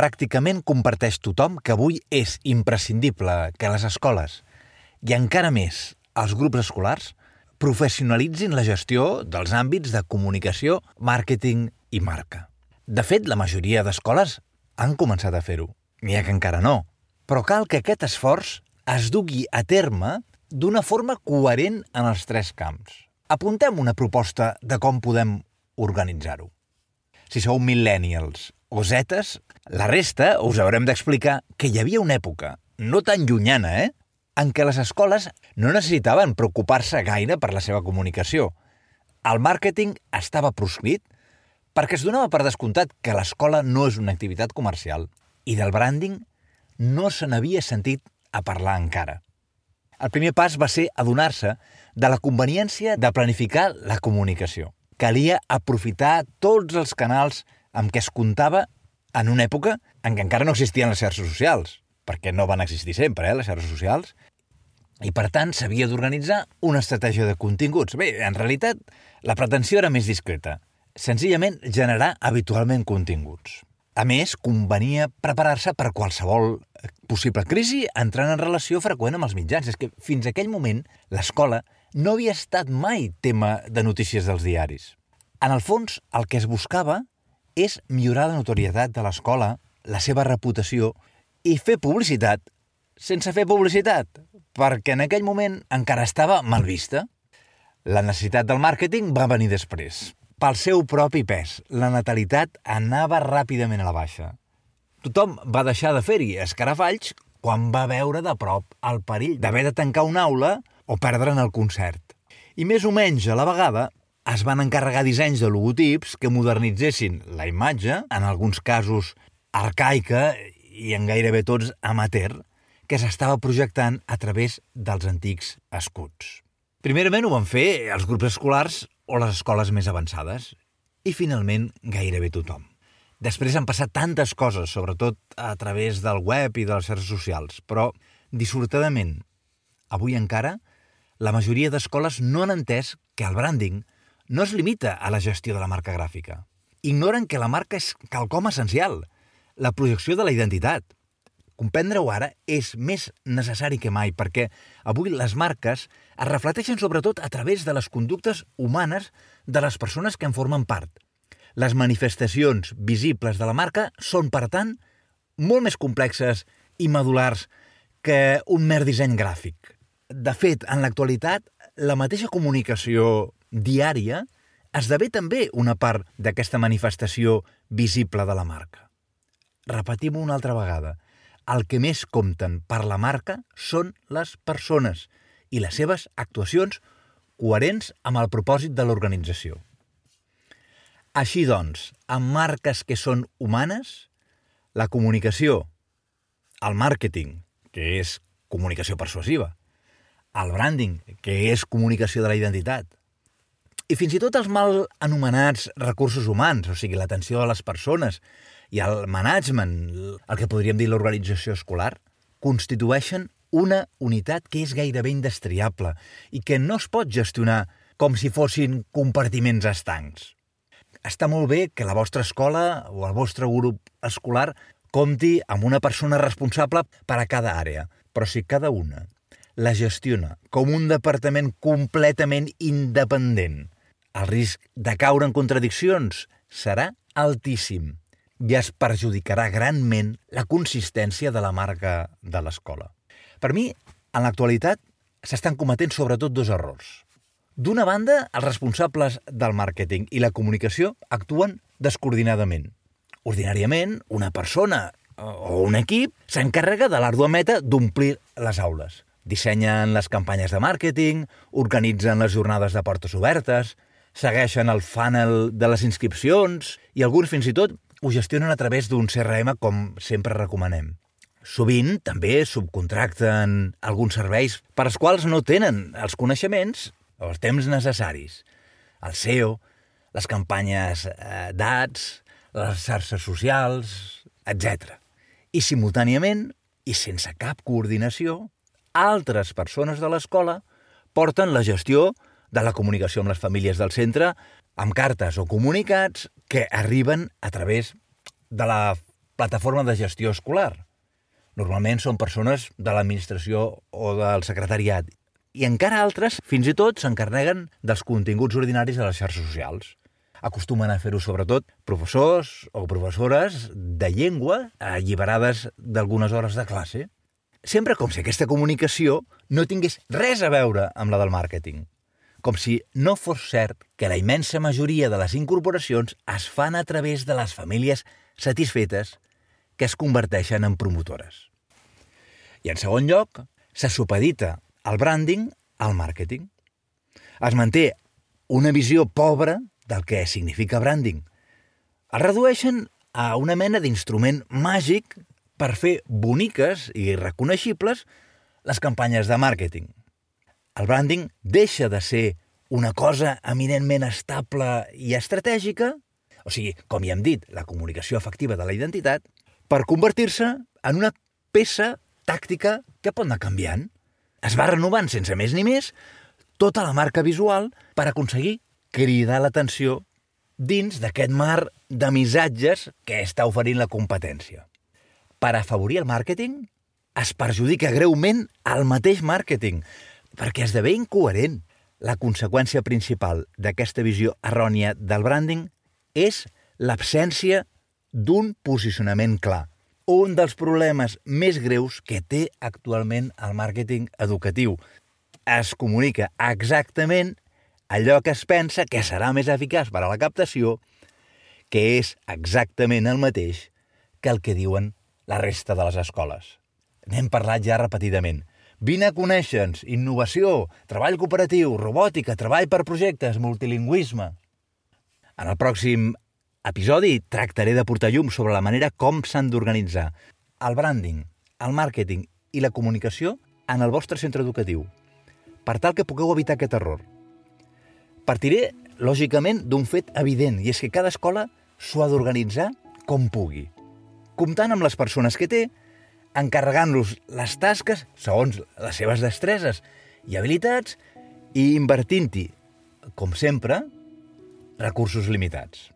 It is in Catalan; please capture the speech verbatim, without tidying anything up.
pràcticament comparteix tothom que avui és imprescindible que les escoles, i encara més els grups escolars, professionalitzin la gestió dels àmbits de comunicació, màrqueting i marca. De fet, la majoria d'escoles han començat a fer-ho. N'hi ha que encara no. Però cal que aquest esforç es dugui a terme d'una forma coherent en els tres camps. Apuntem una proposta de com podem organitzar-ho. Si sou millennials o zetes, la resta us haurem d'explicar que hi havia una època, no tan llunyana, eh?, en què les escoles no necessitaven preocupar-se gaire per la seva comunicació. El màrqueting estava proscrit perquè es donava per descomptat que l'escola no és una activitat comercial i del branding no se n'havia sentit a parlar encara. El primer pas va ser adonar-se de la conveniència de planificar la comunicació. Calia aprofitar tots els canals amb què es comptava en una època en què encara no existien les xarxes socials, perquè no van existir sempre, eh, les xarxes socials, i per tant s'havia d'organitzar una estratègia de continguts. Bé, en realitat, la pretensió era més discreta, senzillament generar habitualment continguts. A més, convenia preparar-se per qualsevol possible crisi entrant en relació freqüent amb els mitjans. És que fins a aquell moment l'escola no havia estat mai tema de notícies dels diaris. En el fons, el que es buscava és millorar la notorietat de l'escola, la seva reputació i fer publicitat sense fer publicitat, perquè en aquell moment encara estava mal vista. La necessitat del màrqueting va venir després. Pel seu propi pes, la natalitat anava ràpidament a la baixa. Tothom va deixar de fer-hi escarafalls quan va veure de prop el perill d'haver de tancar una aula o perdre'n el concert. I més o menys a la vegada es van encarregar dissenys de logotips que modernitzessin la imatge, en alguns casos arcaica i en gairebé tots amateur, que s'estava projectant a través dels antics escuts. Primerament ho van fer els grups escolars o les escoles més avançades, i finalment gairebé tothom. Després han passat tantes coses, sobretot a través del web i de les xarxes socials, però, dissortadament, avui encara, la majoria d'escoles no han entès que el branding no es limita a la gestió de la marca gràfica. Ignoren que la marca és quelcom essencial, la projecció de la identitat. Comprendre-ho ara és més necessari que mai, perquè avui les marques es reflecteixen sobretot a través de les conductes humanes de les persones que en formen part. Les manifestacions visibles de la marca són, per tant, molt més complexes i medulars que un mer disseny gràfic. De fet, en l'actualitat, la mateixa comunicació diària esdevé també una part d'aquesta manifestació visible de la marca. Repetim-ho una altra vegada. El que més compten per la marca són les persones i les seves actuacions coherents amb el propòsit de l'organització. Així doncs, amb marques que són humanes, la comunicació, el màrqueting, que és comunicació persuasiva, el branding, que és comunicació de la identitat, i fins i tot els mal anomenats recursos humans, o sigui, l'atenció a les persones i el management, el que podríem dir l'organització escolar, constitueixen una unitat que és gairebé indestriable i que no es pot gestionar com si fossin compartiments estancs. Està molt bé que la vostra escola o el vostre grup escolar compti amb una persona responsable per a cada àrea, però si cada una la gestiona com un departament completament independent, el risc de caure en contradiccions serà altíssim i es perjudicarà granment la consistència de la marca de l'escola. Per mi, en l'actualitat, s'estan cometent sobretot dos errors. D'una banda, els responsables del màrqueting i la comunicació actuen descoordinadament. Ordinàriament, una persona o un equip s'encarrega de l'àrdua meta d'omplir les aules. Dissenyen les campanyes de màrqueting, organitzen les jornades de portes obertes, segueixen el funnel de les inscripcions i alguns fins i tot ho gestionen a través d'un C R M com sempre recomanem. Sovint també subcontracten alguns serveis per als quals no tenen els coneixements o els temps necessaris. El S E O, les campanyes d'Ads, les xarxes socials, etcètera. I simultàniament, i sense cap coordinació, altres persones de l'escola porten la gestió de la comunicació amb les famílies del centre amb cartes o comunicats que arriben a través de la plataforma de gestió escolar. Normalment són persones de l'administració o del secretariat. I encara altres, fins i tot, s'encarreguen dels continguts ordinaris a les xarxes socials. Acostumen a fer-ho sobretot professors o professores de llengua alliberades d'algunes hores de classe. Sempre com si aquesta comunicació no tingués res a veure amb la del màrqueting. Com si no fos cert que la immensa majoria de les incorporacions es fan a través de les famílies satisfetes que es converteixen en promotores. I en segon lloc, se supedita el branding al màrqueting. Es manté una visió pobra del que significa branding. El redueixen a una mena d'instrument màgic per fer boniques i reconeixibles les campanyes de màrqueting. El branding deixa de ser una cosa eminentment estable i estratègica, o sigui, com ja hem dit, la comunicació efectiva de la identitat, per convertir-se en una peça tàctica que pot anar canviant. Es va renovant sense més ni més tota la marca visual per aconseguir cridar l'atenció dins d'aquest mar de missatges que està oferint la competència. Per afavorir el màrqueting, es perjudica greument el mateix màrqueting, perquè esdevé incoherent. La conseqüència principal d'aquesta visió errònia del branding és l'absència d'un posicionament clar. Un dels problemes més greus que té actualment el màrqueting educatiu. Es comunica exactament allò que es pensa que serà més eficaç per a la captació, que és exactament el mateix que el que diuen la resta de les escoles. N'hem parlat ja repetidament. Vine a conèixer-nos, innovació, treball cooperatiu, robòtica, treball per projectes, multilingüisme. En el pròxim episodi tractaré de portar llum sobre la manera com s'han d'organitzar el branding, el màrqueting i la comunicació en el vostre centre educatiu, per tal que pugueu evitar aquest error. Partiré, lògicament, d'un fet evident, i és que cada escola s'ho ha d'organitzar com pugui, comptant amb les persones que té, encarregant-los les tasques segons les seves destreses i habilitats i invertint-hi, com sempre, recursos limitats.